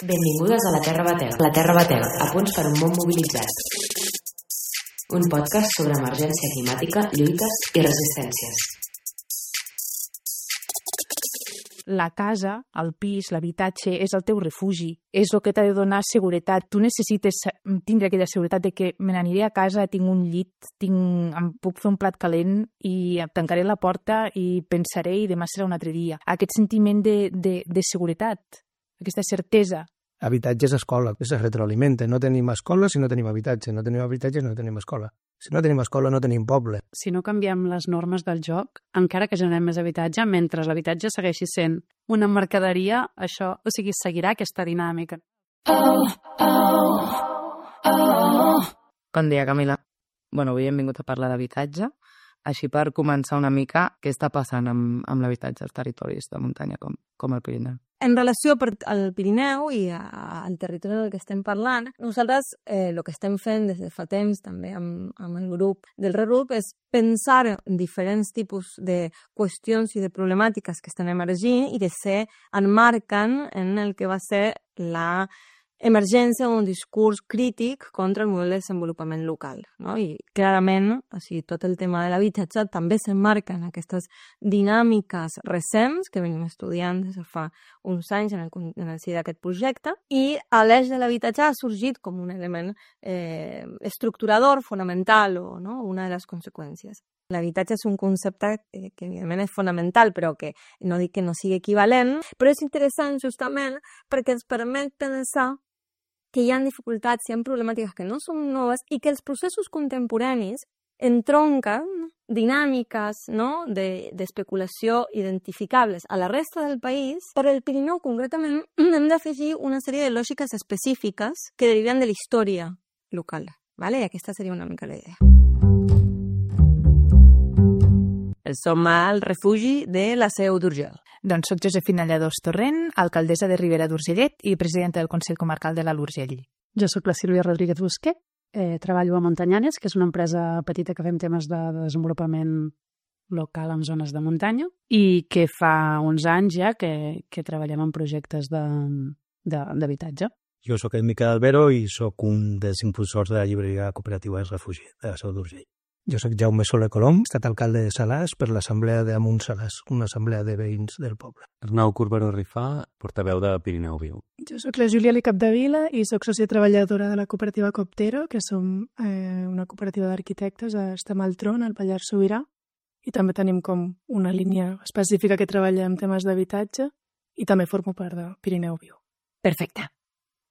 Benvingudes a La Terra Batega. La Terra Batega, a punts per un món mobilitzat. Un podcast sobre emergència climàtica, lluites i resistències. La casa, el pis, l'habitatge és el teu refugi, és el que t'ha de donar seguretat. Tu necessites tindre aquella seguretat de que me n'aniré a casa, tinc un llit, em puc fer un plat calent i tancaré la porta i pensaré i demà serà un altre dia. Aquest sentiment de seguretat, aquesta certesa. Habitatge és escola, es retroalimenta. No tenim escola si no tenim habitatge, no tenim habitatge si no tenim escola. Si no tenim escola no tenim poble. Si no canviem les normes del joc, encara que generem més habitatge, mentre l'habitatge segueixi sent una mercaderia, això, o sigui, seguirà aquesta dinàmica. Bon dia, Camila. Bueno, avui hem vingut a parlar d'habitatge, així per començar una mica què està passant amb l'habitatge als territoris de muntanya com el Pirineu. En relació al Pirineu i al territori del que estem parlant, nosaltres el que estem fent des de fa temps també amb el grup del ReRUP és pensar en diferents tipus de qüestions i de problemàtiques que estan emergint i de ser enmarcant en el que va ser la emergència d'un discurs crític contra el model de desenvolupament local, no? I clarament, o sigui, tot el tema de l'habitatge també s'emmarca en aquestes dinàmiques recents que venim estudiant des de fa uns anys en el si d'aquest projecte, i l'eix de l'habitatge ha sorgit com un element estructurador, fonamental, o no? Una de les conseqüències. L'habitatge és un concepte que evidentment és fonamental, però que no dic que no sigui equivalent, però és interessant justament perquè ens permet pensar que hi ha dificultats, hi ha problemàtiques que no són noves i que els processos contemporanis entronquen dinàmiques, no?, d'especulació identificables a la resta del país. Per al Pirineu, concretament, hem d'afegir una sèrie de lògiques específiques que deriven de la història local, ¿vale? I aquesta seria una mica la idea. Som al refugi de la Seu d'Urgell. Doncs soc Josefina Lladós Torrent, alcaldessa de Ribera d'Urgellet i presidenta del Consell Comarcal de l'Alt Urgell. Jo sóc la Sílvia Rodríguez Busquet, treballo a Montanyanes, que és una empresa petita que fem temes de desenvolupament local en zones de muntanya i que fa uns anys ja que treballem en projectes d'habitatge. Jo sóc el Miquel Albero i sóc un dels impulsors de la llibreria cooperativa del refugi de la Seu d'Urgell. Jo sóc Jaume Soler Colom, he estat alcalde de Salàs per l'assemblea d'Amunt Salàs, una assemblea de veïns del poble. Arnau Corberó Rifà, portaveu de Pirineu Viu. Jo sóc la Júlia Capdevila i sóc sòcia treballadora de la cooperativa Coptero, que som una cooperativa d'arquitectes a Estamaltrón, al Pallars Sobirà, i també tenim com una línia específica que treballa en temes d'habitatge i també formo part de Pirineu Viu. Perfecte.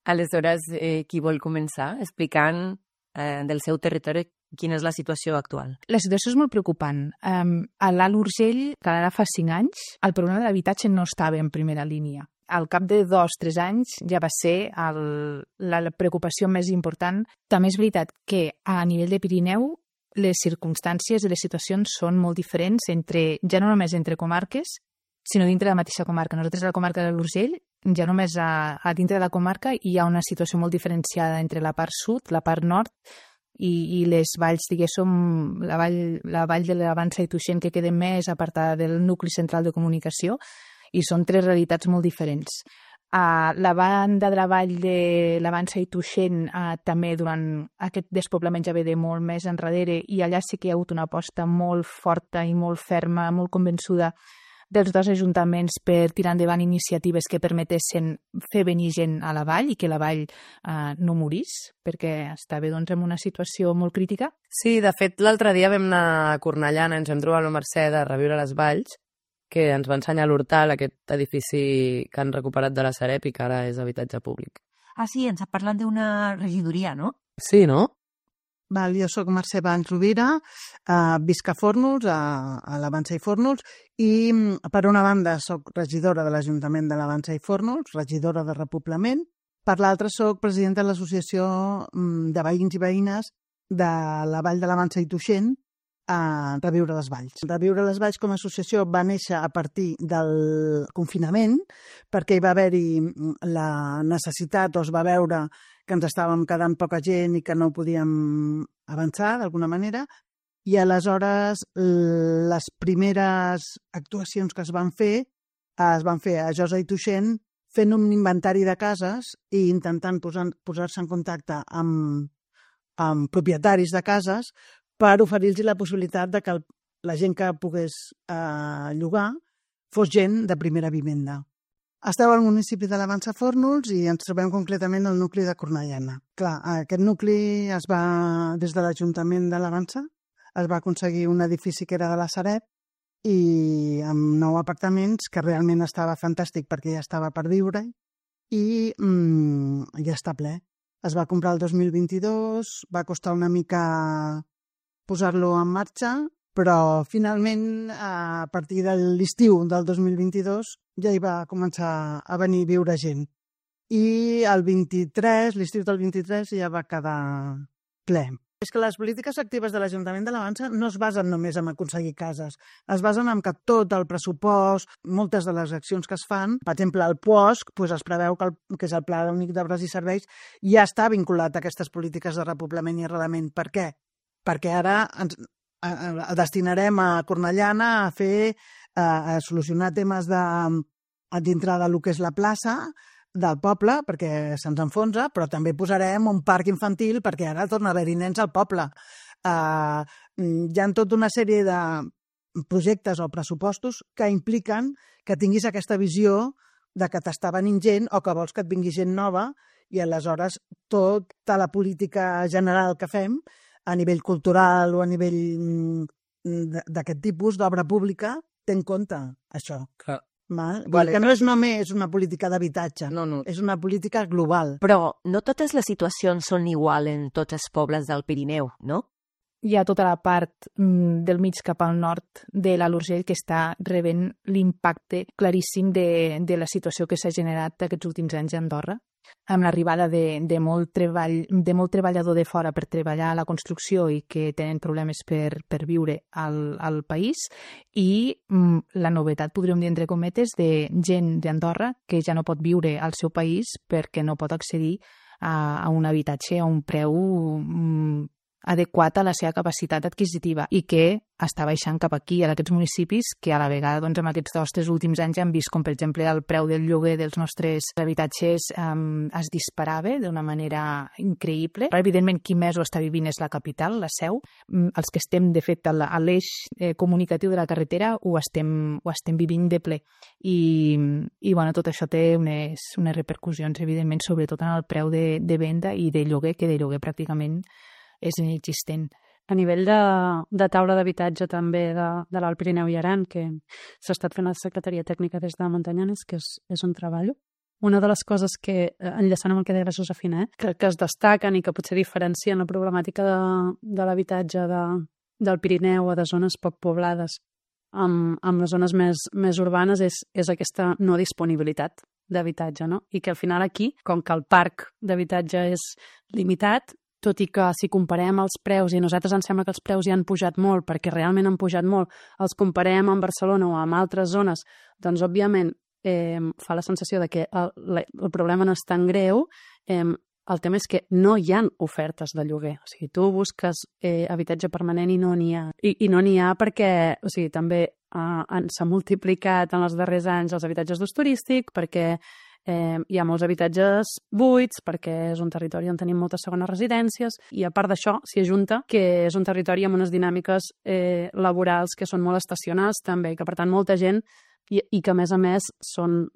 Aleshores, qui vol començar explicant del seu territori quina és la situació actual? La situació és molt preocupant. A l'Alt Urgell, que ara fa 5 anys, el problema de l'habitatge no estava en primera línia. Al cap de 2-3 anys ja va ser la preocupació més important. També és veritat que a nivell de Pirineu les circumstàncies i les situacions són molt diferents ja no només entre comarques, sinó dintre de la mateixa comarca. Nosaltres a la comarca de l'Urgell, ja només a dintre de la comarca hi ha una situació molt diferenciada entre la part sud, la part nord, i les valls, diguéssim, la vall de l'Avança i Tuixén, que queda més apartada del nucli central de comunicació, i són 3 realitats molt diferents. A la banda de la vall de l'Avança i Tuixén també durant aquest despoblament ja ve de molt més enrere, i allà sí que hi ha hagut una aposta molt forta i molt ferma, molt convençuda dels 2 ajuntaments per tirar endavant iniciatives que permetessin fer venir gent a la vall i que la vall no morís, perquè estava en una situació molt crítica. Sí, de fet, l'altre dia vam anar a Cornellana, ens vam trobar la Mercè de Reviure les Valls, que ens va ensenyar l'Hortal, aquest edifici que han recuperat de la Sareb i que ara és habitatge públic. Ah, sí, ens ha parlat d'una regidoria, no? Sí, no? Jo soc Mercè Valls Rovira, visc a Fórnols, a l'Avança i Fórnols, i per una banda soc regidora de l'Ajuntament de l'Avança i Fórnols, regidora de repoblament, per l'altra soc presidenta de l'Associació de Veïns i Veïnes de la Vall de l'Avança i Tuixén, a Reviure les Valls. Reviure les Valls com a associació va néixer a partir del confinament, perquè hi va haver-hi la necessitat, o es va veure que ens estàvem quedant poca gent i que no podíem avançar d'alguna manera, i aleshores les primeres actuacions que es van fer a Josa i Tuixén fent un inventari de cases i intentant posar-se en contacte amb propietaris de cases per oferir-los la possibilitat de que la gent que pogués llogar fos gent de primera vivenda. Esteu al municipi de l'Avança Fórnols i ens trobem concretament al nucli de Cornellana. Clar, aquest nucli des de l'Ajuntament de l'Avança es va aconseguir un edifici que era de la Sareb i amb 9 apartaments, que realment estava fantàstic perquè ja estava per viure i ja està ple. Es va comprar el 2022, va costar una mica posar-lo en marxa, però finalment a partir de l'estiu del 2022 ja hi va començar a venir a viure gent. I l'estiu del 23 ja va quedar ple. És que les polítiques actives de l'Ajuntament de l'Avança no es basen només en aconseguir cases, es basen en que tot el pressupost, moltes de les accions que es fan, per exemple el POSC, es preveu que és el Pla Únic d'Obres i Serveis, ja està vinculat a aquestes polítiques de repoblament i arrelament. Per què? Perquè ara destinarem a Cornellana a solucionar temes dintre del que és la plaça del poble, perquè se'ns enfonsa, però també posarem un parc infantil perquè ara torna a haver-hi nens al poble. Hi ha tota una sèrie de projectes o pressupostos que impliquen que tinguis aquesta visió de que t'està venint gent o que vols que et vingui gent nova i aleshores tota la política general que fem a nivell cultural o a nivell d'aquest tipus d'obra pública té en compte això. Clar. Que no és només una política d'habitatge, és una política global. Però no totes les situacions són igual en tots els pobles del Pirineu, no? Hi ha tota la part del mig cap al nord de l'Alt Urgell que està rebent l'impacte claríssim de la situació que s'ha generat aquests últims anys a Andorra, amb l'arribada de molt treballador de fora per treballar a la construcció i que tenen problemes per viure al país, i la novetat, podríem dir entre cometes, de gent d'Andorra que ja no pot viure al seu país perquè no pot accedir a un habitatge a un preu adequat a la seva capacitat adquisitiva i que està baixant cap aquí, a aquests municipis que a la vegada, doncs, en aquests 2 o 3 últims anys hem vist com, per exemple, el preu del lloguer dels nostres habitatges es disparava d'una manera increïble. Però, evidentment, qui més ho està vivint és la capital, la Seu. Els que estem, de fet, a l'eix comunicatiu de la carretera ho estem vivint de ple. I bueno, tot això té unes repercussions, evidentment, sobretot en el preu de venda i de lloguer, que de lloguer pràcticament és inexistent. A nivell de taula d'habitatge també de l'Alt Pirineu i Aran, que s'ha estat fent la Secretaria Tècnica des de Montanyanes, que és on treballo. Una de les coses que, enllaçant amb el que deia la Josefina, que es destaquen i que potser diferencien la problemàtica de l'habitatge del Pirineu o de zones poc poblades amb les zones més urbanes és aquesta no disponibilitat d'habitatge, no? I que al final aquí, com que el parc d'habitatge és limitat, tot i que si comparem els preus, i a nosaltres ens sembla que els preus ja han pujat molt, perquè realment han pujat molt, els comparem amb Barcelona o amb altres zones, doncs òbviament fa la sensació de que el problema no és tan greu. El tema és que no hi ha ofertes de lloguer. O sigui, tu busques habitatge permanent i no n'hi ha. I no n'hi ha perquè, o sigui, també s'ha multiplicat en els darrers anys els habitatges d'ús turístic, perquè hi ha molts habitatges buits, perquè és un territori on tenim moltes segones residències, i a part d'això s'hi ajunta que és un territori amb unes dinàmiques laborals que són molt estacionals també, que per tant molta gent i que a més són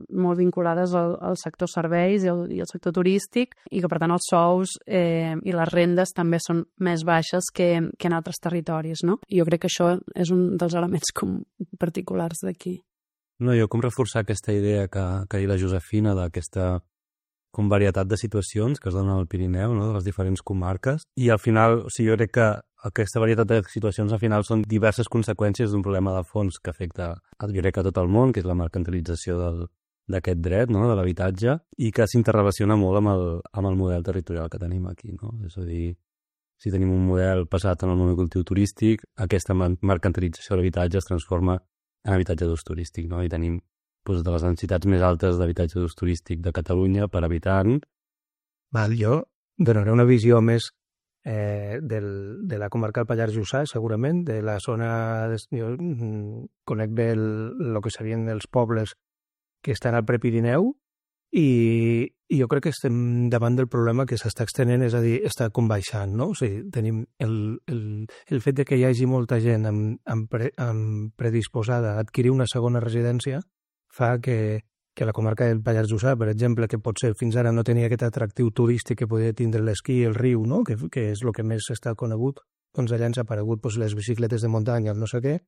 molt vinculades al sector serveis i al sector turístic, i que per tant els sous i les rendes també són més baixes que en altres territoris, no? I jo crec que això és un dels elements particulars d'aquí. No, jo com reforçar aquesta idea que ha dit la Josefina d'aquesta com varietat de situacions que es donen al Pirineu, no? De les diferents comarques, i al final, o sigui, jo crec que aquesta varietat de situacions al final són diverses conseqüències d'un problema de fons que afecta, jo crec, a tot el món, que és la mercantilització d'aquest dret, no? De l'habitatge, i que s'interrelaciona molt amb el model territorial que tenim aquí, no? És a dir, si tenim un model basat en el monocultiu turístic, aquesta mercantilització de l'habitatge es transforma en habitatge d'ús turístic, no? I tenim de les necessitats més altes d'habitatge d'ús turístic de Catalunya per habitant. Jo donaré una visió més de la comarca del Pallars Jussà, segurament, de la zona... Jo conec bé el que serien els pobles que estan al Prepirineu, i jo crec que estem davant del problema que s'està extenent, és a dir, està com baixant, no? O sigui, tenim el fet de que hi hagi molta gent predisposada a adquirir una segona residència fa que la comarca del Pallars Jussà, per exemple, que potser fins ara no tenia aquest atractiu turístic que podia tindre l'esquí i el riu, no? que és el que més està conegut, doncs allà ens ha aparegut les bicicletes de muntanya, el no sé què,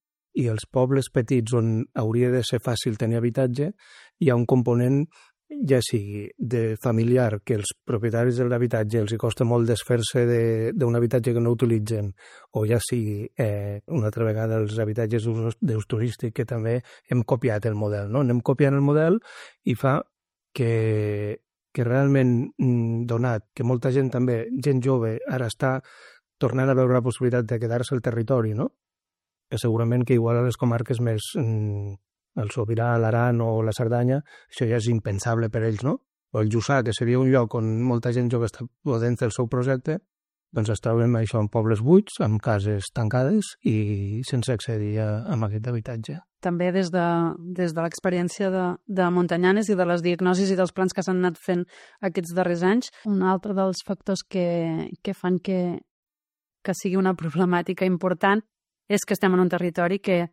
i els pobles petits on hauria de ser fàcil tenir habitatge, hi ha un component ja sigui de familiar, que els propietaris de l'habitatge els hi costa molt desfer-se d'un habitatge que no utilitzen, o ja sigui una altra vegada els habitatges d'ús turístic, que també hem copiat el model, no? Anem copiant el model i fa que realment, donat que molta gent també, gent jove, ara està tornant a veure la possibilitat de quedar-se al territori, no? Que segurament que igual a les comarques més el Sobirà, l'Aran o la Cerdanya, això ja és impensable per ells, no? O el Jussà, que seria un lloc on molta gent jove està podent fer el seu projecte, doncs es troben això en pobles buits, amb cases tancades i sense accedir a aquest habitatge. També des de l'experiència de Montanyanes i de les diagnosis i dels plans que s'han anat fent aquests darrers anys, un altre dels factors que fan que sigui una problemàtica important és que estem en un territori que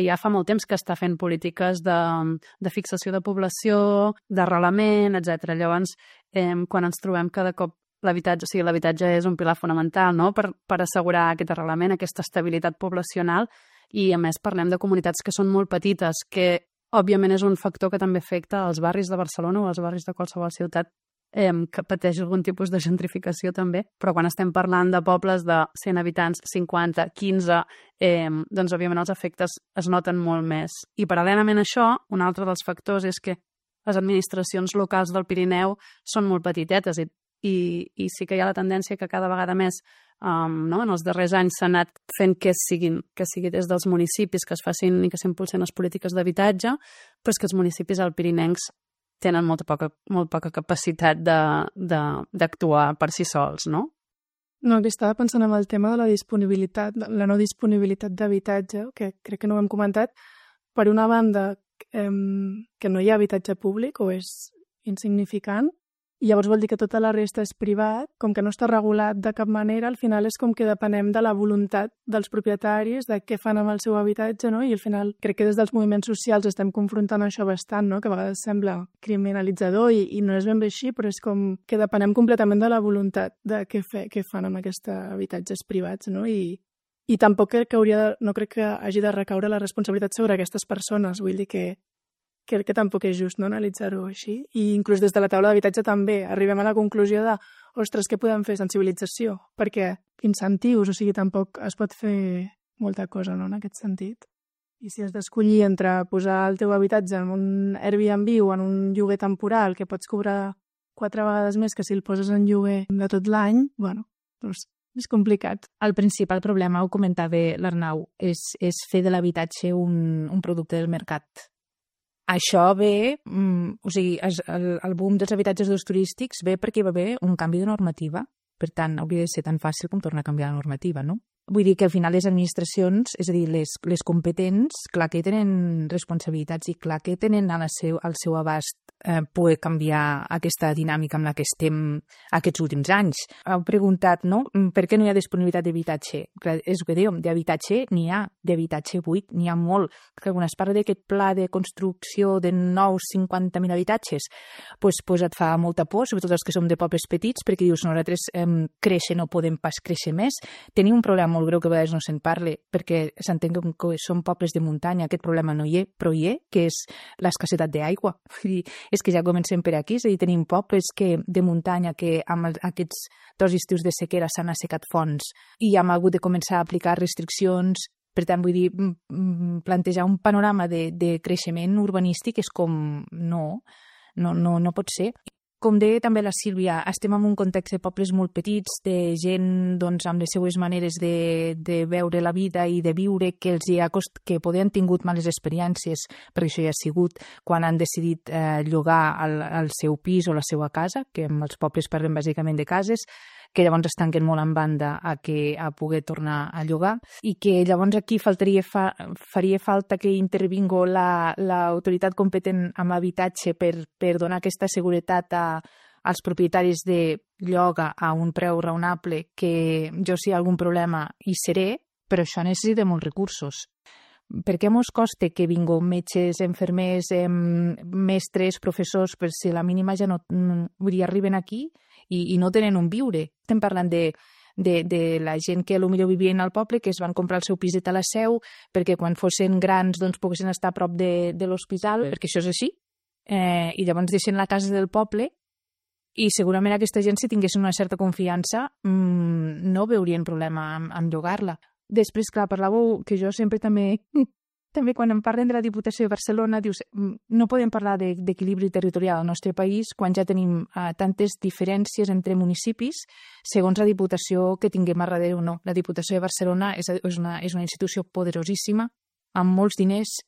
ja fa molt temps que està fent polítiques de fixació de població, d'arrelament, etc. Llavors, quan ens trobem cada cop l'habitatge és un pilar fonamental, no?, per assegurar aquest arrelament, aquesta estabilitat poblacional, i a més parlem de comunitats que són molt petites, que òbviament és un factor que també afecta als barris de Barcelona o als barris de qualsevol ciutat que pateix algun tipus de gentrificació també, però quan estem parlant de pobles de 100 habitants, 50, 15, doncs òbviament els efectes es noten molt més. I paral·lelament a això, un altre dels factors és que les administracions locals del Pirineu són molt petitetes i sí que hi ha la tendència que cada vegada més en els darrers anys s'ha anat fent que sigui des dels municipis que es facin i que s'impulsen les polítiques d'habitatge, però és que els municipis alpirinencs tenen molt poca capacitat d'actuar per si sols, no? No, estava pensant en el tema de la no disponibilitat d'habitatge, que crec que no ho hem comentat. Per una banda, que no hi ha habitatge públic o és insignificant, i llavors vol dir que tota la resta és privat, com que no està regulat de cap manera, al final és com que depenem de la voluntat dels propietaris, de què fan amb el seu habitatge, no? I al final crec que des dels moviments socials estem confrontant això bastant, no? Que a vegades sembla criminalitzador i no és ben bé així, però és com que depenem completament de la voluntat de què fan amb aquests habitatges privats, no? I tampoc crec que no crec que hagi de recaure la responsabilitat sobre aquestes persones, vull dir que crec que tampoc és just, no?, analitzar-ho així. I inclús des de la taula d'habitatge també arribem a la conclusió de, ostres, què podem fer? Sensibilització, perquè incentius, o sigui, tampoc es pot fer molta cosa, no?, en aquest sentit. I si has d'escollir entre posar el teu habitatge en un Airbnb o en un lloguer temporal que pots cobrar 4 vegades més que si el poses en lloguer de tot l'any, bueno, doncs és complicat. El principal problema, ho comentava l'Arnau, és fer de l'habitatge un producte del mercat. Això ve, o sigui, el boom dels habitatges d'ús turístics ve perquè va haver un canvi de normativa. Per tant, hauria de ser tan fàcil com tornar a canviar la normativa, no? Vull dir que al final les administracions, és a dir, les competents, clar que tenen responsabilitats i clar que tenen al seu abast poder canviar aquesta dinàmica amb la que estem aquests últims anys. Heu preguntat, no?, per què no hi ha disponibilitat d'habitatge? És el que dèiem, d'habitatge n'hi ha, d'habitatge buit n'hi ha molt. Que quan es parla d'aquest pla de construcció de nous 50.000 habitatges, doncs et fa molta por, sobretot els que som de pobles petits, perquè dius, nosaltres créixer no podem pas créixer més. Tenim un problema molt greu que a vegades no se'n parli, perquè s'entén que són pobles de muntanya, aquest problema no hi és, però hi és, que és l'escassetat d'aigua. És que ja comencem per aquí, és a dir, tenim pobles de muntanya que amb aquests 2 estius de sequera s'han assecat fonts i hem hagut de començar a aplicar restriccions. Per tant, vull dir, plantejar un panorama de creixement urbanístic és com no pot ser. Com deia també la Sílvia, estem en un context de pobles molt petits, de gent doncs, amb les seues maneres de veure la vida i de viure que poder han tingut males experiències, perquè això ja ha sigut quan han decidit llogar el seu pis o la seva casa, que en els pobles parlem bàsicament de cases, que llavors es tanquen molt en banda a poder tornar a llogar, i que llavors aquí faria falta que intervingo l'autoritat competent amb habitatge per donar aquesta seguretat als propietaris de lloga a un preu raonable, que jo si hi ha algun problema hi seré, però això necessita molts recursos. Per què mos costa que vinguin metges, infermers, mestres, professors, per si la mínima ja no arriben aquí i no tenen on viure? Estem parlant de la gent que potser vivien al poble, que es van comprar el seu piset a la Seu perquè quan fossin grans doncs poguessin estar a prop de l'hospital, perquè això és així, i llavors deixen la casa del poble, i segurament aquesta gent, si tinguessin una certa confiança, no veurien problema en llogar-la. Després, clar, parlàveu que jo sempre també quan em parlen de la Diputació de Barcelona, dius, no podem parlar d'equilibri territorial al nostre país quan ja tenim tantes diferències entre municipis segons la Diputació que tinguem a darrere o no. La Diputació de Barcelona és una institució poderosíssima, amb molts diners,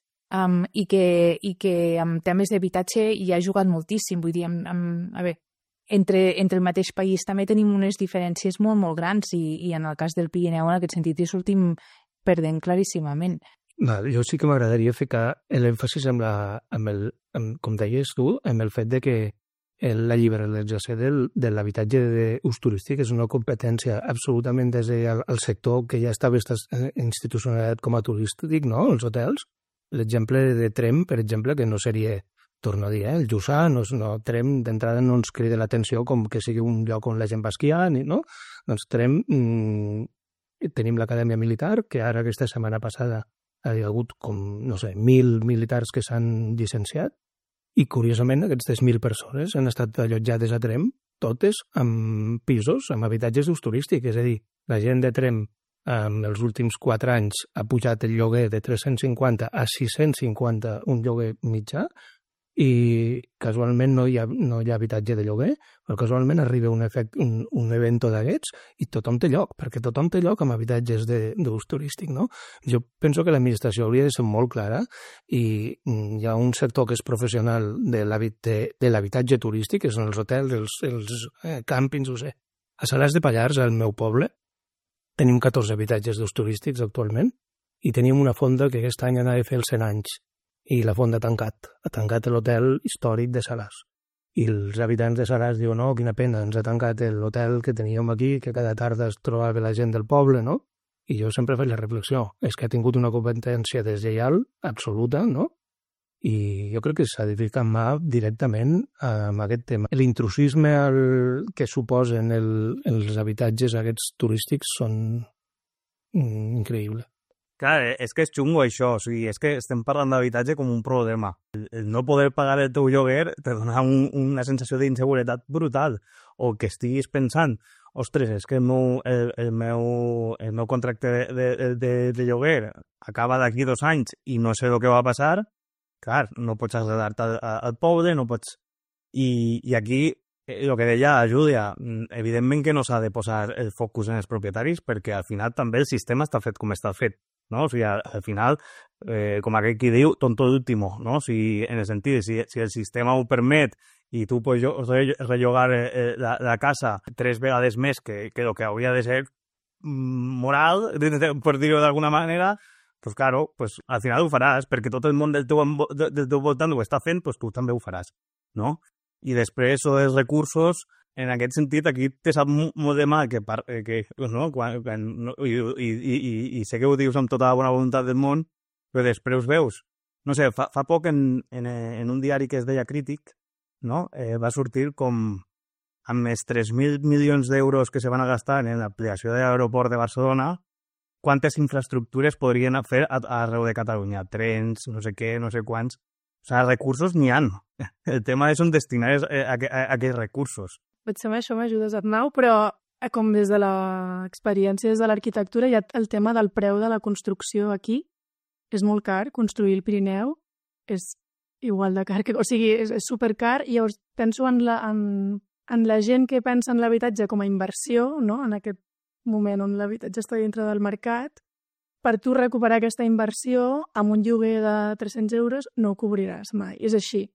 i que en temes d'habitatge hi ha jugat moltíssim. Vull dir, a veure, entre el mateix país també tenim unes diferències molt, molt grans, i en el cas del Pirineu, en aquest sentit, hi sortim perdent claríssimament. Jo sí que m'agradaria ficar l'èmfasis com deies tu, amb el fet de que la liberalització de l'habitatge d'ús turístic és una competència absolutament des del sector que ja estava institucionalitzat com a turístic, no?, els hotels. L'exemple de Tremp, per exemple, que no seria, torno a dir, el Jussà, Tremp d'entrada no ens crida l'atenció com que sigui un lloc on la gent va esquiar, no? Doncs Tremp, tenim l'Acadèmia Militar, que ara aquesta setmana passada hi ha hagut com, 1.000 militars que s'han llicenciat, i curiosament aquestes 1.000 persones han estat allotjades a Tremp, totes amb pisos, amb habitatges d'ús turístic, és a dir, la gent de Tremp en els últims 4 anys ha pujat el lloguer de 350 a 650 un lloguer mitjà, i casualment no hi ha habitatge de lloguer, però casualment arriba un event d'aquests i tothom té lloc, perquè tothom té lloc amb habitatges d'ús turístic, no? Jo penso que l'administració hauria de ser molt clara, i hi ha un sector que és professional de l'habitatge turístic, que són els hotels, els càmpings, A Salàs de Pallars, al meu poble, tenim 14 habitatges d'ús turístics actualment, i tenim una fonda que aquest any anava a fer els 100 anys, i la fonda ha tancat l'hotel històric de Salàs. I els habitants de Salàs diuen, no, quina pena, ens ha tancat l'hotel que teníem aquí, que cada tarda es trobava la gent del poble, no? I jo sempre faig la reflexió, és que ha tingut una competència deslleial absoluta, no? I jo crec que s'ha de ficar mà directament amb aquest tema. L'intrusisme que suposen els habitatges aquests turístics són increïbles. Clar, és que és xungo això, o sigui, és que estem parlant d'habitatge com un problema. El no poder pagar el teu lloguer te dona una sensació d'inseguretat brutal, o que estiguis pensant, ostres, és que el meu contracte de lloguer acaba d'aquí 2 anys i no sé el que va passar, clar, no pots traslladar-te al poble, no pots... I aquí, el que deia Júlia, evidentment que no s'ha de posar el focus en els propietaris, perquè al final també el sistema està fet com està fet. No? O sigui, al final, com aquell qui diu, tonto d'último, no? O sigui, en el sentit, si el sistema ho permet i tu pots rellogar la casa 3 vegades més que el que hauria de ser moral, per dir-ho d'alguna manera, pues claro, pues al final ho faràs, perquè tot el món del teu voltant ho està fent, pues tu també ho faràs, no? I després, els recursos, en aquest sentit, aquí te sap molt de mal que no? I sé que ho dius amb tota la bona voluntat del món, però després veus. No sé, fa poc en un diari que es deia Crític, no? Va sortir com amb els 3.000 milions d'euros que se van a gastar en l'ampliació de l'aeroport de Barcelona, quantes infraestructures podrien fer arreu de Catalunya, trens, no sé què, no sé quants. O sigui, recursos n'hi ha. El tema és on destinar aquests recursos. Potser amb això m'ajudes, Arnau, però com des de l'experiència, des de l'arquitectura, hi ha el tema del preu de la construcció aquí. És molt car, construir el Pirineu és igual de car, o sigui, és supercar, i llavors penso en la gent que pensa en l'habitatge com a inversió, no? En aquest moment on l'habitatge està dintre del mercat, per tu recuperar aquesta inversió amb un lloguer de 300 euros no ho cobriràs mai, és així.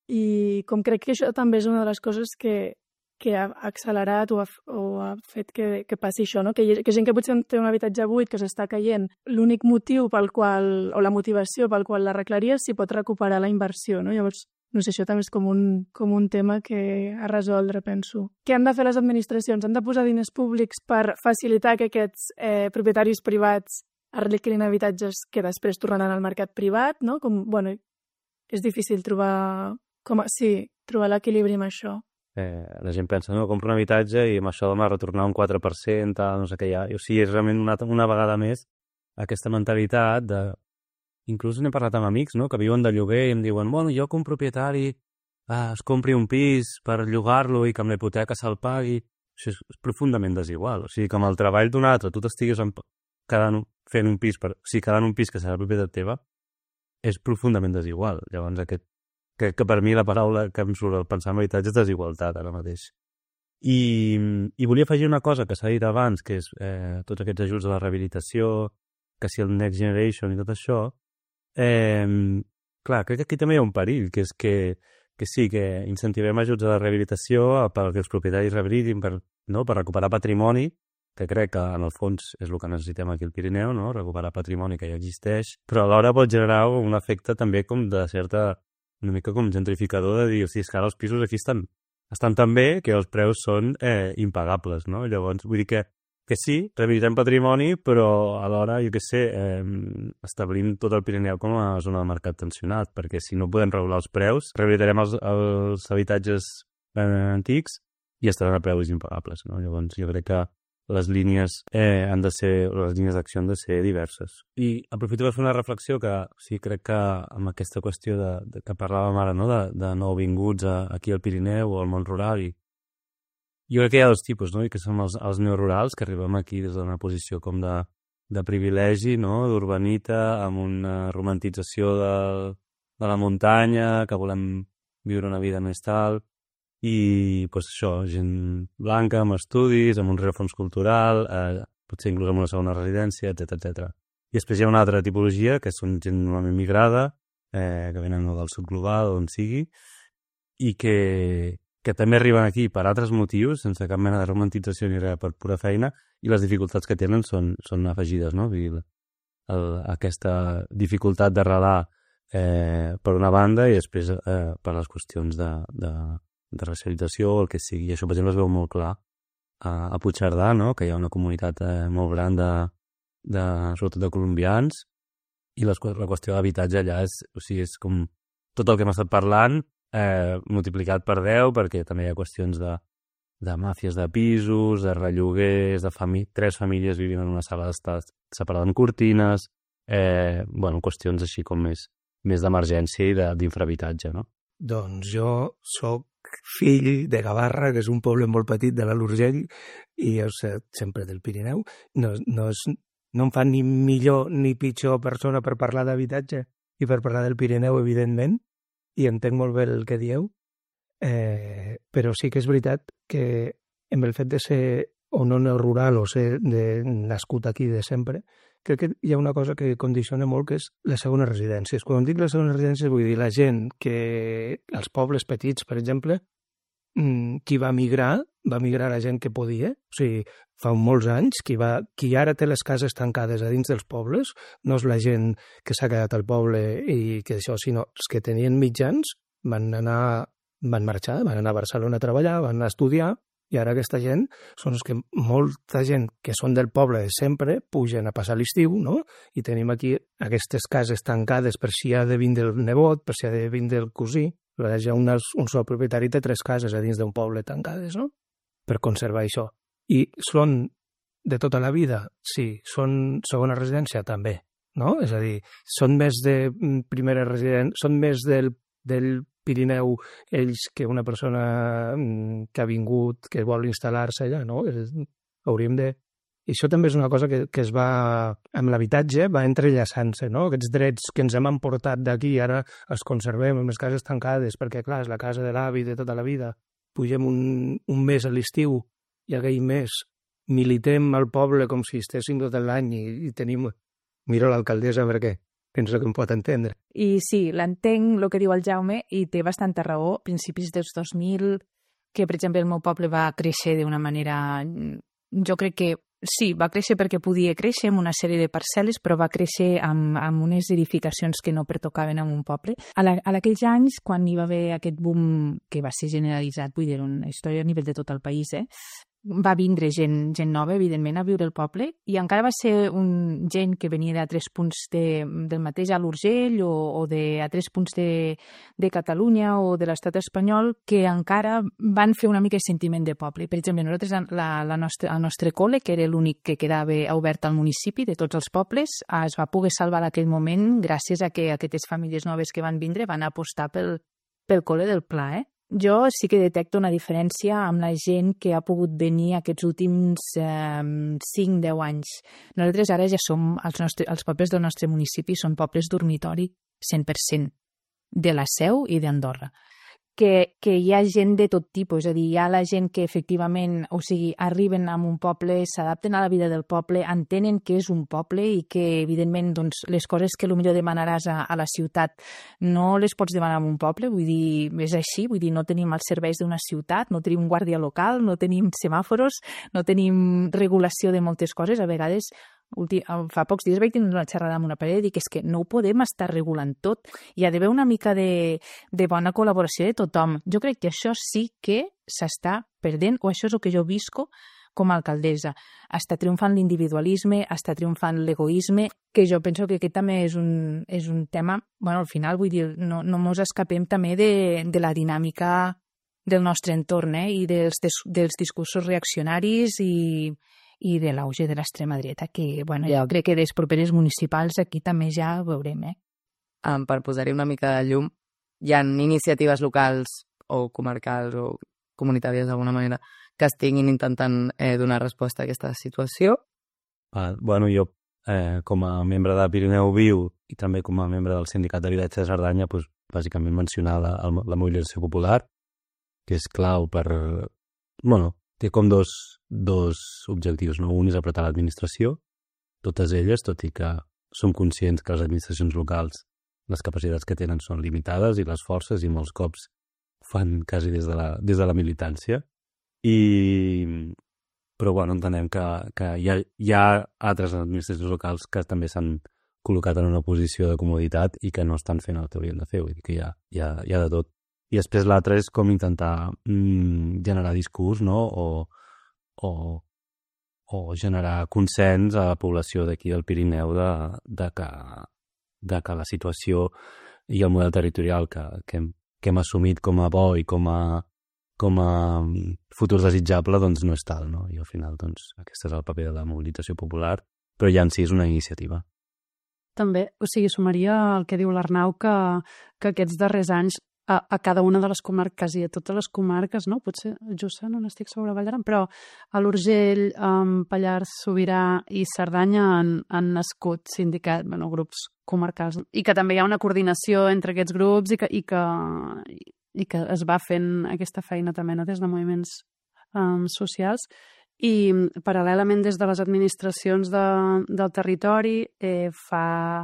I com crec que això també és una de les coses que que ha accelerat o ha fet que passi això, no? Que gent que potser té un habitatge buit que s'està caient, l'únic motiu pel qual, o la motivació pel qual l'arreglaria, si pot recuperar la inversió, no? Llavors, no sé, això també és com un tema que a resoldre, penso. Què han de fer les administracions? Han de posar diners públics per facilitar que aquests propietaris privats arreglin habitatges que després tornaran al mercat privat, no? És difícil trobar l'equilibri amb això. La gent pensa, no, compro un habitatge i amb això demà retornar un 4%, tal, no sé què hi ha. O sigui, és realment una vegada més aquesta mentalitat de... Inclús n'he parlat amb amics, no?, que viuen de lloguer i em diuen, bueno, jo que un propietari es compri un pis per llogar-lo i que amb la hipoteca se'l pagui. Això és profundament desigual. O sigui, que amb el treball d'un altre tu t'estiguis quedant un pis que serà propietat teva, és profundament desigual. Llavors, que per mi la paraula que em surt al pensar en habitatge és desigualtat ara mateix. I volia afegir una cosa que s'ha dit abans, que és tots aquests ajuts a la rehabilitació, que si el Next Generation i tot això. Clar, crec que aquí també hi ha un perill, que és que sí, que incentivem ajuts a la rehabilitació perquè els propietaris rehabilitin per recuperar patrimoni, que crec que en el fons és el que necessitem aquí al Pirineu, no? Recuperar patrimoni que ja existeix, però alhora pot generar un efecte també com de certa, una mica com gentrificador de dir, o sigui, és que ara els pisos aquí estan tan bé que els preus són impagables, no? Llavors, vull dir que sí, rehabilitem patrimoni, però alhora, jo què sé, establim tot el Pirineu com a zona de mercat tensionat, perquè si no podem regular els preus, rehabilitarem els habitatges antics i estaran a preus impagables, no? Llavors, jo crec que les línies les línies d'acció han de ser diverses. I aprofito per fer una reflexió que sí, crec que amb aquesta qüestió que parlàvem ara, no?, de nouvinguts aquí al Pirineu o al món rural, i jo crec que hi ha dos tipus, no?, i que són els neorurals, que arribem aquí des d'una posició com de privilegi, no?, d'urbanita, amb una romantització de la muntanya, que volem viure una vida més tal, i doncs això, gent blanca, amb estudis, amb un rerefons cultural, potser inclús amb una segona residència, etc. I després hi ha una altra tipologia, que són gent normalment migrada, que venen del sud global, on sigui, i que també arriben aquí per altres motius, sense cap mena de romantització ni res, per pura feina, i les dificultats que tenen són afegides, no? Aquesta dificultat d'arrelar per una banda i després per les qüestions de racialització o el que sigui. I això, per exemple, es veu molt clar a Puigcerdà, no?, que hi ha una comunitat molt gran sobretot de colombians, i la qüestió d'habitatge allà és com tot el que hem estat parlant multiplicat per 10, perquè també hi ha qüestions de màfies de pisos, de relloguers, de 3 famílies vivint en una sala d'estar separada amb cortines, qüestions així com més d'emergència i d'infrahabitatge, no? Doncs jo soc fill de Gavarra, que és un poble molt petit de l'Alt Urgell, i jo sé sempre del Pirineu. No em fa ni millor ni pitjor persona per parlar d'habitatge i per parlar del Pirineu, evidentment, i entenc molt bé el que dieu, però sí que és veritat que amb el fet de ser o no rural o ser nascut aquí de sempre, crec que hi ha una cosa que condiciona molt, que és les segones residències. Quan dic les segones residències vull dir la gent que, als pobles petits, per exemple, qui va migrar la gent que podia. O sigui, fa molts anys, qui ara té les cases tancades a dins dels pobles, no és la gent que s'ha quedat al poble i que això, sinó els que tenien mitjans van marxar, van anar a Barcelona a treballar, van anar a estudiar, i ara aquesta gent són els que molta gent que són del poble de sempre pugen a passar l'estiu, no? I tenim aquí aquestes cases tancades per si ha de vindre el nebot, per si ha de vindre el cosí. Hi ha un sol propietari té 3 cases a dins d'un poble tancades, no?, per conservar això. I són de tota la vida? Sí. Són segona residència? També, no? És a dir, són més de primera residència, són més del Pirineu ells que una persona que ha vingut, que vol instal·lar-se allà, no? Hauríem de... I això també és una cosa que es va, amb l'habitatge, va entrellaçant-se, no? Aquests drets que ens hem emportat d'aquí, ara els conservem en les cases tancades, perquè, clar, és la casa de l'avi de tota la vida. Pugem un mes a l'estiu i aquell mes militem al poble com si estéssim tot l'any i tenim... Miro l'alcaldessa perquè penso que em pot entendre. I sí, l'entenc, el que diu el Jaume, i té bastanta raó. A principis dels 2000 que, per exemple, el meu poble va créixer d'una manera... Jo crec que sí, va créixer perquè podia créixer amb una sèrie de parcel·les, però va créixer amb unes edificacions que no pertocaven a un poble. A aquells anys, quan hi va haver aquest boom que va ser generalitzat, vull dir, una història a nivell de tot el país, va vindre gent nova, evidentment, a viure al poble, i encara va ser gent que venia d'altres punts del mateix a l'Urgell o d'altres punts de Catalunya o de l'estat espanyol que encara van fer una mica de sentiment de poble. Per exemple, nosaltres, el nostre col·le, que era l'únic que quedava obert al municipi de tots els pobles, es va poder salvar en aquell moment gràcies a que aquestes famílies noves que van vindre van apostar pel col·le del Pla, Jo sí que detecto una diferència amb la gent que ha pogut venir aquests últims 5-10 anys. Nosaltres ara ja som, els pobles del nostre municipi són pobles dormitori 100%, de la Seu i d'Andorra. Que hi ha gent de tot tipus, és a dir, hi ha la gent que efectivament, o sigui, arriben a un poble, s'adapten a la vida del poble, entenen que és un poble i que, evidentment, doncs, les coses que potser demanaràs a la ciutat no les pots demanar en un poble, vull dir, és així, vull dir, no tenim els serveis d'una ciutat, no tenim guàrdia local, no tenim semàforos, no tenim regulació de moltes coses, a vegades... Fa pocs dies vaig tenir una xerrada amb una parella i dic és que no ho podem estar regulant tot. Hi ha d'haver una mica de bona col·laboració de tothom. Jo crec que això sí que s'està perdent, o això és el que jo visco com a alcaldessa. Està triomfant l'individualisme, està triomfant l'egoisme, que jo penso que aquest també és un tema... Bueno, al final, vull dir, no mos escapem també de la dinàmica del nostre entorn i dels discursos reaccionaris i de l'auge de l'extrema dreta, que bueno, jo crec que les properes municipals aquí també ja ho veurem. Per posar-hi una mica de llum, hi ha iniciatives locals o comarcals o comunitàries d'alguna manera que estiguin intentant donar resposta a aquesta situació? Bueno, jo com a membre de Pirineu Viu i també com a membre del Sindicat d'Habitatge de Cerdanya, doncs, bàsicament mencionar la mobilització popular, que és clau per... Bueno, té com dos objectius, no? Un és apretar l'administració, totes elles, tot i que som conscients que les administracions locals, les capacitats que tenen són limitades i les forces, i molts cops fan quasi des de la militància. Però bueno, entenem que hi ha altres administracions locals que també s'han col·locat en una posició de comoditat i que no estan fent el que haurien de fer, vull dir que hi ha de tot. I després l'altre és com intentar generar discurs, no? O generar consens a la població d'aquí del Pirineu de que la situació i el model territorial que hem assumit com a bo i com a futur desitjable doncs no és tal, no? I al final doncs aquest és el paper de la mobilització popular, però ja en si és una iniciativa. També, o sigui, sumaria el que diu l'Arnau, que aquests darrers anys a cada una de les comarques i a totes les comarques, no? Potser Jussà no n'estic sobre Vall d'Aran, però a l'Urgell, Pallars Sobirà i Cerdanya han nascut sindicats, grups comarcals, i que també hi ha una coordinació entre aquests grups i que es va fent aquesta feina també, no? Des de moviments socials. I paral·lelament des de les administracions del territori fa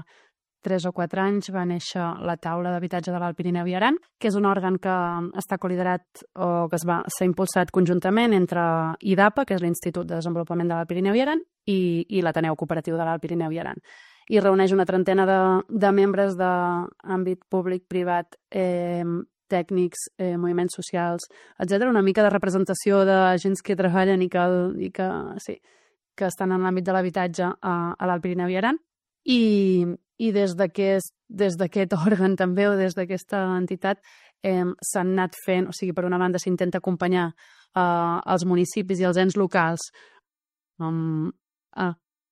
3 o 4 anys va néixer la taula d'habitatge de l'Alt Pirineu i Aran, que és un òrgan que està coliderat o que s'ha impulsat conjuntament entre IDAPA, que és l'Institut de Desenvolupament de l'Alt Pirineu i Aran, i l'Ateneu Cooperatiu de l'Alt Pirineu i Aran. I reuneix una trentena de membres d'àmbit públic, privat, tècnics, moviments socials, etc. Una mica de representació de gens que treballen i que estan en l'àmbit de l'habitatge a l'Alt Pirineu i Aran. I des d'aquest òrgan també, o des d'aquesta entitat, s'han anat fent, o sigui, per una banda s'intenta acompanyar els municipis i els ens locals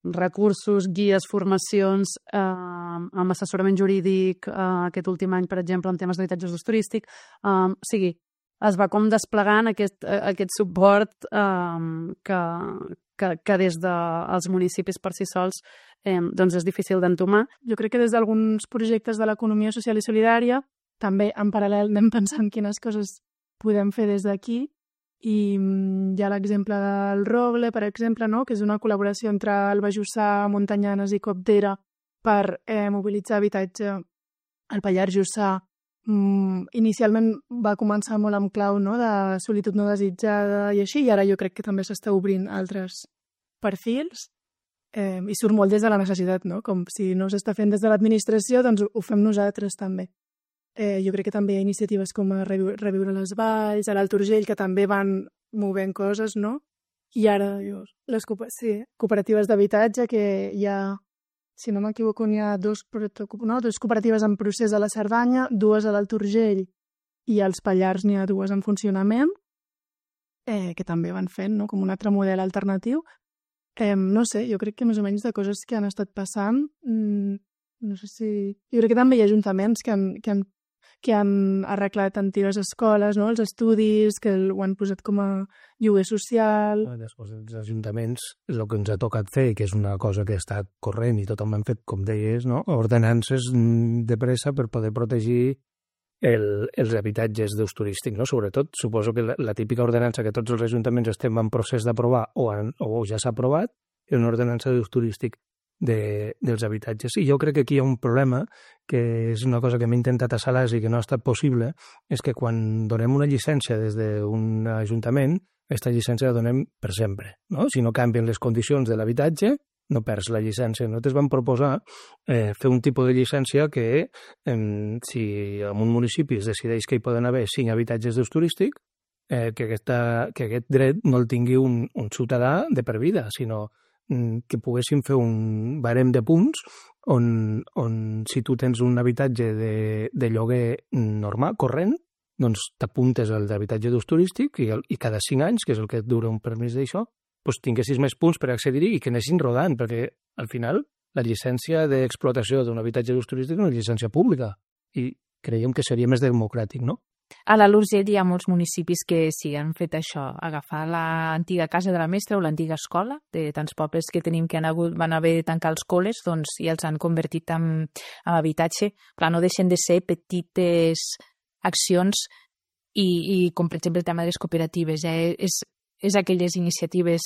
recursos, guies, formacions, amb assessorament jurídic, aquest últim any, per exemple, en temes d'habitatge d'ús turístic. O sigui, es va com desplegant aquest suport que des dels municipis per si sols doncs és difícil d'entomar. Jo crec que des d'alguns projectes de l'economia social i solidària també en paral·lel anem pensant quines coses podem fer des d'aquí, i hi ha l'exemple del Roble, per exemple, no? Que és una col·laboració entre Alba Jussà, Montanyanes i Coptera per mobilitzar habitatge al Pallars Jussà inicialment va començar molt amb clau, no?, de solitud no desitjada i així, i ara jo crec que també s'està obrint altres perfils i surt molt des de la necessitat, no? Com si no s'està fent des de l'administració, doncs ho fem nosaltres també. Jo crec que també hi ha iniciatives com a Reviure les Valls, a l'Alt Urgell, que també van movent coses, no? I ara, les cooperatives d'habitatge, que hi ha, si no m'equivoco, hi ha dos cooperatives en procés a la Cerdanya, 2 a l'Alt Urgell i als Pallars n'hi ha 2 en funcionament, que també van fent, no?, com un altre model alternatiu. No sé, jo crec que més o menys de coses que han estat passant, no sé si... Jo crec que també hi ha ajuntaments que han arreglat antigues escoles, no?, els estudis, que ho han posat com a lloguer social... Després els ajuntaments, el que ens ha tocat fer, que és una cosa que ha estat corrent i tothom han fet, com deies, no?, ordenances de pressa per poder protegir els habitatges d'ús turístic, no? Sobretot, suposo que la típica ordenança que tots els ajuntaments estem en procés d'aprovar o ja s'ha aprovat és una ordenança d'ús turístic dels habitatges. I jo crec que aquí hi ha un problema, que és una cosa que hem intentat a Salàs i que no ha estat possible, és que quan donem una llicència des d'un ajuntament, aquesta llicència la donem per sempre, no? Si no canvien les condicions de l'habitatge, no perds la llicència. Nosaltres vam proposar fer un tipus de llicència que, si en un municipi es decideix que hi poden haver 5 habitatges d'ús turístic, que aquest dret no el tingui un ciutadà de per vida, sinó que poguéssim fer un barem de punts on si tu tens un habitatge de lloguer normal, corrent, doncs t'apuntes al d'habitatge d'ús turístic i cada 5 anys, que és el que dura un permís d'això, doncs tinguessis més punts per accedir-hi i que anessin rodant, perquè al final la llicència d'explotació d'un habitatge d'ús turístic és una llicència pública i creiem que seria més democràtic, no? A l'Alt Urgell hi ha molts municipis que sí han fet això, agafar l'antiga casa de la mestra o l'antiga escola de tants pobles que tenim que van haver de tancar els col·les, doncs i els han convertit en habitatge. Clar, no deixen de ser petites accions i com per exemple el tema de les cooperatives, és aquelles iniciatives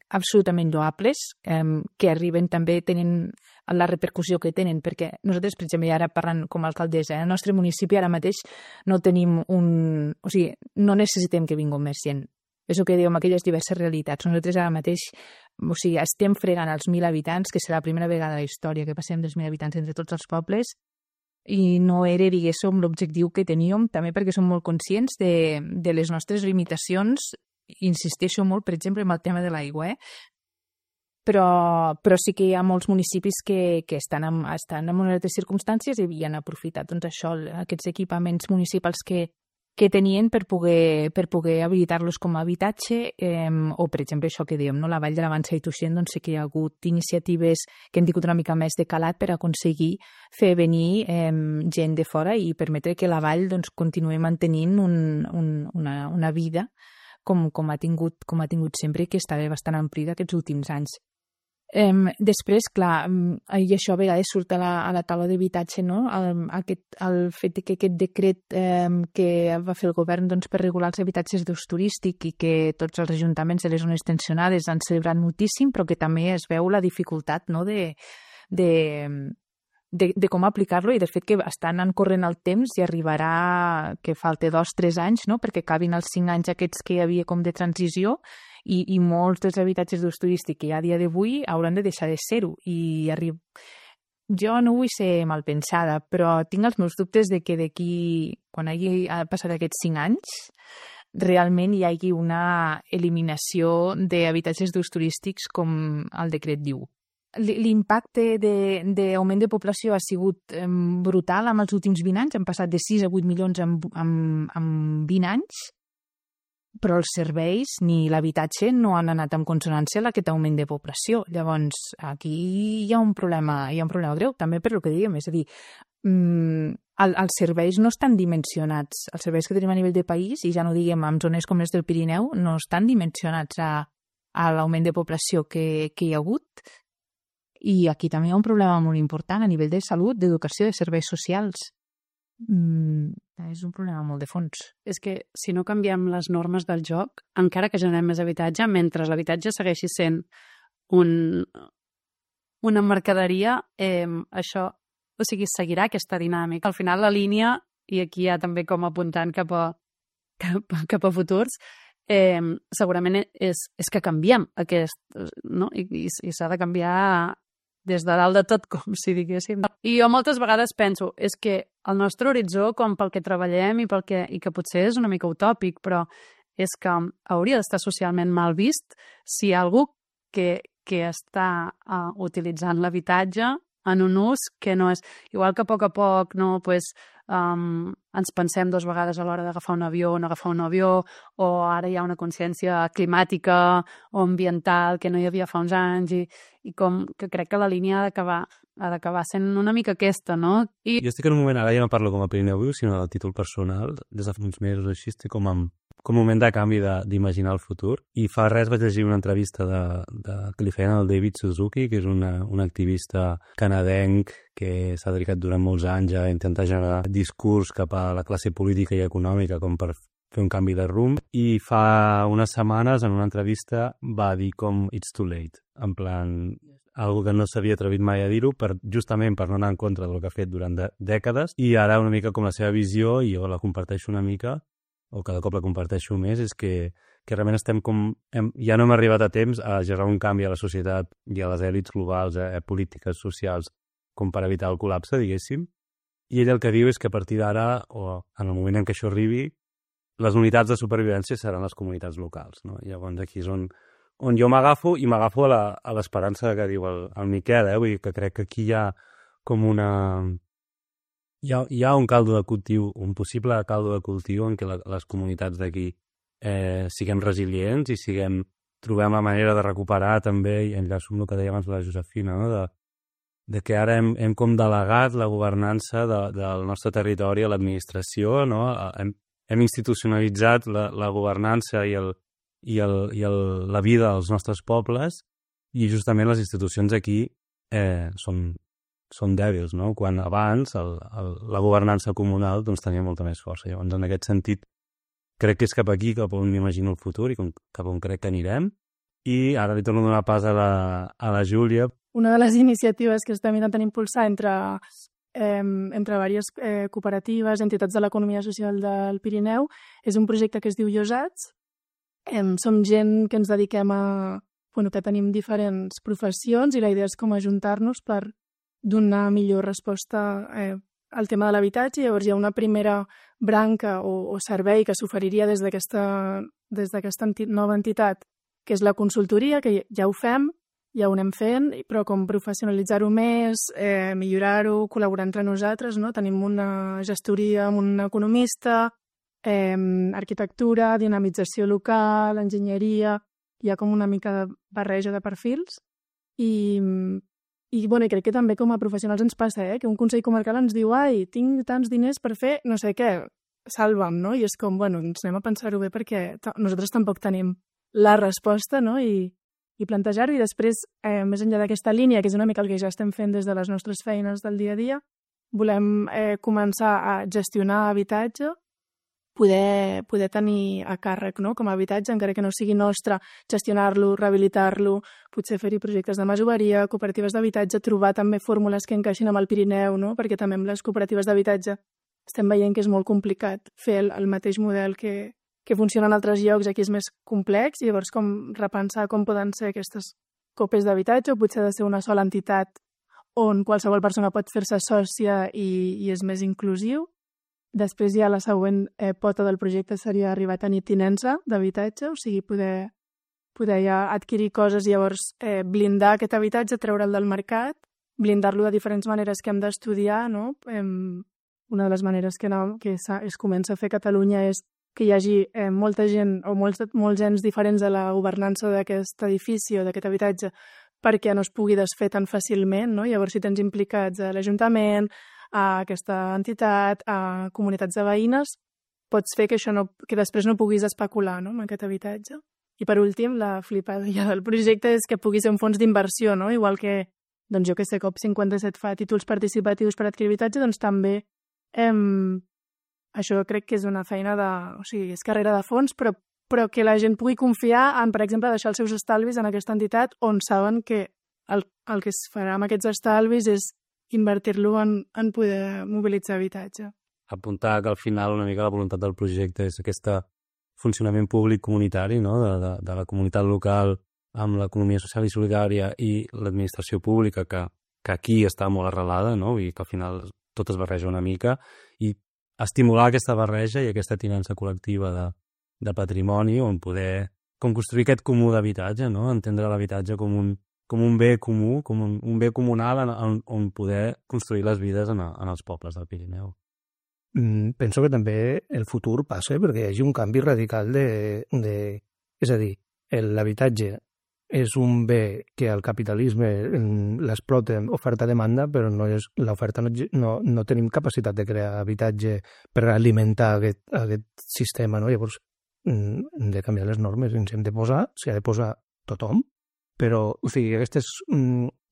absolutament lloables que arriben també, tenen la repercussió que tenen, perquè nosaltres, per exemple, ara parlant com a alcaldessa, al nostre municipi ara mateix no tenim o sigui, no necessitem que vingui un comerciant. És el que diu amb aquelles diverses realitats. Nosaltres ara mateix, o sigui, estem fregant els 1.000 habitants, que serà la primera vegada a la història que passem dels 1.000 habitants entre tots els pobles, i no era, diguéssim, l'objectiu que teníem, també perquè som molt conscients de les nostres limitacions. Insisteixo molt, per exemple, en el tema de l'aigua, però sí que hi ha molts municipis que estan en unes circumstàncies i han aprofitat doncs, això, aquests equipaments municipals que tenien per poder habilitar-los com a habitatge o, per exemple, això que dèiem, no? La Vall de la Vansa i Tuixén, doncs sí que hi ha hagut iniciatives que han tingut una mica més de calat per aconseguir fer venir gent de fora i permetre que la Vall doncs, continuï mantenint una vida com ha tingut sempre i que estava bastant amplida aquests últims anys. Després, clar, i això a vegades surt a la taula d'habitatge, no? El fet que aquest decret que va fer el govern doncs, per regular els habitatges d'ús turístic i que tots els ajuntaments de les zones tensionades han celebrat moltíssim, però que també es veu la dificultat, no? de com aplicar-lo i del fet que estan corrent el temps i arribarà que falta 2-3 anys, no? Perquè acabin els 5 anys aquests que hi havia com de transició i molts dels habitatges d'ús turístic que hi ha a dia d'avui hauran de deixar de ser-ho i jo no vull ser malpensada, però tinc els meus dubtes de que d'aquí, quan hagi passat aquests 5 anys, realment hi hagi una eliminació d'habitatges d'ús turístics com el decret diu. L'impacte d'augment de població ha sigut brutal en els últims 20 anys, han passat de 6 a 8 milions en 20 anys, però els serveis ni l'habitatge no han anat en consonància amb aquest augment de població. Llavors, aquí hi ha un problema greu, també per el que diguem, és a dir, els serveis no estan dimensionats, els serveis que tenim a nivell de país, i ja no diguem en zones com les del Pirineu, no estan dimensionats a l'augment de població que hi ha hagut. I aquí també hi ha un problema molt important a nivell de salut, d'educació, de serveis socials. És un problema molt de fons. És que si no canviem les normes del joc, encara que generem més habitatge, mentre l'habitatge segueixi sent una mercaderia, això O sigui, seguirà aquesta dinàmica. Al final la línia, i aquí ja també com apuntant cap a futurs, segurament és que canviem aquest, no? I s'ha de canviar des de dalt de tot, com si diguéssim. I jo moltes vegades penso, és que el nostre horitzó, com pel que treballem i que potser és una mica utòpic, però és que hauria d'estar socialment mal vist si algú que està utilitzant l'habitatge en un ús que no és... Igual que a poc, no, pues, ens pensem 2 vegades a l'hora d'agafar un avió o no agafar un avió, o ara hi ha una consciència climàtica o ambiental que no hi havia fa uns anys, i com que crec que la línia ha d'acabar sent una mica aquesta, no? Jo estic en un moment, ara ja no parlo com a Pirineu Viu, sinó a títol personal, des de fa uns mesos així, estic com un moment de canvi d'imaginar el futur. I fa res vaig llegir una entrevista que li feien al David Suzuki, que és un activista canadenc que s'ha dedicat durant molts anys a intentar generar discurs cap a la classe política i econòmica com per fer un canvi de rumb, i fa unes setmanes en una entrevista va dir com it's too late, en plan, algo que no s'havia atrevit mai a dir-ho, justament per no anar en contra del que ha fet durant dècades, i ara una mica com la seva visió, i jo la comparteixo una mica, o cada cop la comparteixo més, és que realment estem ja no hem arribat a temps a generar un canvi a la societat i a les èlits globals, polítiques, socials, com per evitar el col·lapse, diguéssim. I ell el que diu és que a partir d'ara, o en el moment en què això arribi, les unitats de supervivència seran les comunitats locals, no? Llavors aquí és on jo m'agafo, i m'agafo a l'esperança que diu el Miquel, vull dir que crec que aquí hi ha com hi ha un caldo de cultiu, un possible caldo de cultiu en què les comunitats d'aquí siguem resilients i trobem la manera de recuperar també, i enllaço amb el que deia abans la Josefina, no? de que ara hem com delegat la governança del nostre territori a l'administració, no? Hem institucionalitzat la governança i la vida dels nostres pobles, i justament les institucions aquí són dèbils, no? Quan abans la governança comunal doncs, tenia molta més força. Llavors, en aquest sentit, crec que és cap aquí cap on m'imagino el futur i cap on crec que anirem. I ara li torno a donar pas a la Júlia. Una de les iniciatives que estem intentant impulsar entre diverses cooperatives, entitats de l'economia social del Pirineu, és un projecte que es diu Llosats. Som gent que ens dediquem que tenim diferents professions, i la idea és com ajuntar-nos per donar millor resposta al tema de l'habitatge. Llavors hi ha una primera branca o servei que s'oferiria des d'aquesta nova entitat, que és la consultoria, que ja ho fem, ja ho anem fent, però com professionalitzar-ho més, millorar-ho, col·laborar entre nosaltres, no? Tenim una gestoria amb un economista, arquitectura, dinamització local, enginyeria, hi ha com una mica de barreja de perfils, i crec que també com a professionals ens passa, que un consell comarcal ens diu tinc tants diners per fer no sé què, salva'm, no? I és com, ens anem a pensar-ho bé perquè nosaltres tampoc tenim la resposta, no? I plantejar-ho, i després, més enllà d'aquesta línia, que és una mica el que ja estem fent des de les nostres feines del dia a dia, volem començar a gestionar habitatge, poder tenir a càrrec, no? Com a habitatge, encara que no sigui nostre, gestionar-lo, rehabilitar-lo, potser fer-hi projectes de masoveria, cooperatives d'habitatge, trobar també fórmules que encaixin amb el Pirineu, no? Perquè també amb les cooperatives d'habitatge estem veient que és molt complicat fer el mateix model que funciona en altres llocs. Aquí és més complex, i llavors com repensar com poden ser aquestes copes d'habitatge, o potser ha de ser una sola entitat on qualsevol persona pot fer-se sòcia i és més inclusiu. Després ja la següent pota del projecte seria arribar a tenir tinença d'habitatge, o sigui, poder ja adquirir coses i llavors blindar aquest habitatge, treure'l del mercat, blindar-lo de diferents maneres que hem d'estudiar, no? Una de les maneres que es comença a fer a Catalunya és que hi hagi molta gent o molts ens diferents de la governança d'aquest edifici o d'aquest habitatge perquè no es pugui desfer tan fàcilment, no? Llavors, si tens implicats a l'Ajuntament, a aquesta entitat, a comunitats de veïnes, pots fer que després no puguis especular, no? Amb aquest habitatge. I per últim, la flipada ja del projecte és que pugui ser un fons d'inversió, no? Igual que, doncs jo que sé, COP57 fa títols participatius per adquirir habitatge, doncs també això crec que és una feina o sigui, és carrera de fons, però que la gent pugui confiar en, per exemple, deixar els seus estalvis en aquesta entitat on saben que el que es farà amb aquests estalvis és invertir-lo en poder mobilitzar habitatge. Apuntar que al final una mica la voluntat del projecte és aquest funcionament públic comunitari, no? de la comunitat local amb l'economia social i solidària i l'administració pública que aquí està molt arrelada, no? I que al final tot es barreja una mica, i estimular aquesta barreja i aquesta tinença col·lectiva de patrimoni on poder construir aquest comú d'habitatge, no? Entendre l'habitatge com un bé comú, com un bé comunal on poder construir les vides en els pobles del Pirineu. Penso que també el futur passa perquè hi hagi un canvi radical és a dir, l'habitatge és un bé que el capitalisme l'explota oferta-demanda, però l'oferta no tenim capacitat de crear habitatge per alimentar aquest sistema, no? Llavors hem de canviar les normes, ens hem de posar, s'hi ha de posar tothom, però o sigui, aquestes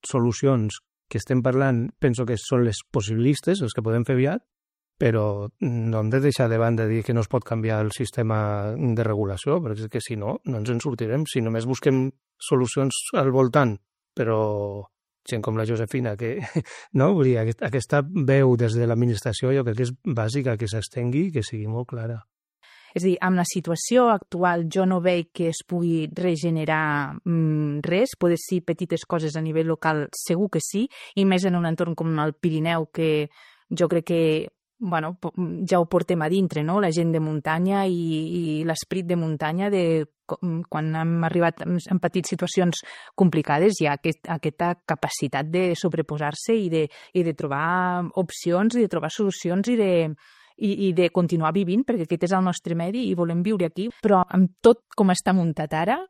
solucions que estem parlant penso que són les possibilistes, les que podem fer aviat, però no hem de deixar de banda dir que no es pot canviar el sistema de regulació, perquè és que si no, no ens en sortirem. Si només busquem solucions al voltant, però gent com la Josefina, que no, vull dir, aquesta veu des de l'administració jo crec que és bàsica, que s'estengui i que sigui molt clara. És a dir, amb la situació actual jo no veig que es pugui regenerar res, poder ser petites coses a nivell local, segur que sí, i més en un entorn com el Pirineu, que jo crec que ja ho portem a dintre, no? La gent de muntanya i l'esperit de muntanya, quan hem arribat en petites situacions complicades, hi ha aquesta capacitat de sobreposar-se i de trobar opcions, i de trobar solucions i de continuar vivint, perquè aquest és el nostre medi i volem viure aquí. Però amb tot com està muntat ara,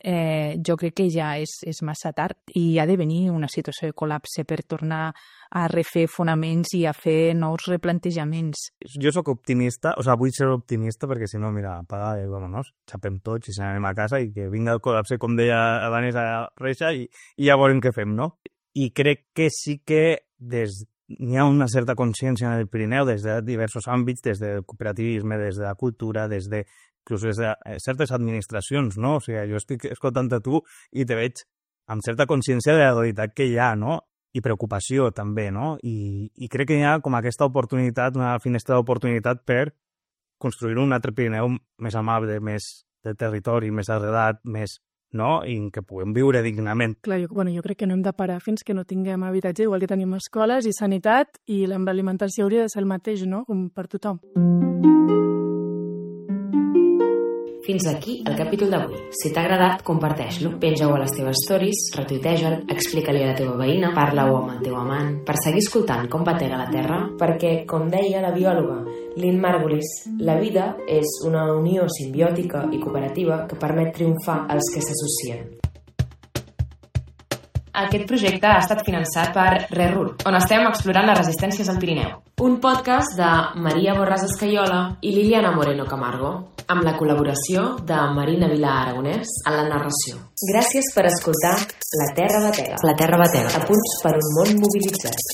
jo crec que ja és massa tard i ha de venir una situació de col·lapse per tornar a refer fonaments i a fer nous replantejaments. Jo sóc optimista, vull ser optimista perquè si no, mira, apaga i vámonos, xapem tots i anem a casa i que vinga el col·lapse, com deia la Vanessa Reixa, i ja veurem què fem, no? I crec que sí que n'hi ha una certa consciència en el Pirineu des de diversos àmbits, des del cooperativisme, des de la cultura, inclús des de certes administracions, no? O sigui, jo estic escoltant a tu i te veig amb certa consciència de la realitat que hi ha, no? I preocupació també, no? I crec que hi ha com aquesta oportunitat, una finestra d'oportunitat per construir un altre Pirineu més amable, més de territori, més arrelat, més, no? I en què puguem viure dignament. Clar, jo crec que no hem de parar fins que no tinguem habitatge, igual que tenim escoles i sanitat, i l'alimentació hauria de ser el mateix, no? Com per tothom. Fins aquí el capítol d'avui. Si t'ha agradat, comparteix-lo. Penja-ho a les teves stories, retuiteja-el, explica-li a la teva veïna, parla-ho amb el teu amant, per seguir escoltant com batega la terra, perquè, com deia la biòloga Lynn Margulis, la vida és una unió simbiòtica i cooperativa que permet triomfar als que s'associen. Aquest projecte ha estat finançat per RERUR, on estem explorant les resistències al Pirineu. Un podcast de Maria Borràs Escaiola i Liliana Moreno Camargo, amb la col·laboració de Marina Vilà Aragonès en la narració. Gràcies per escoltar La Terra Batega. La Terra Batega. A punts per un món mobilitzat.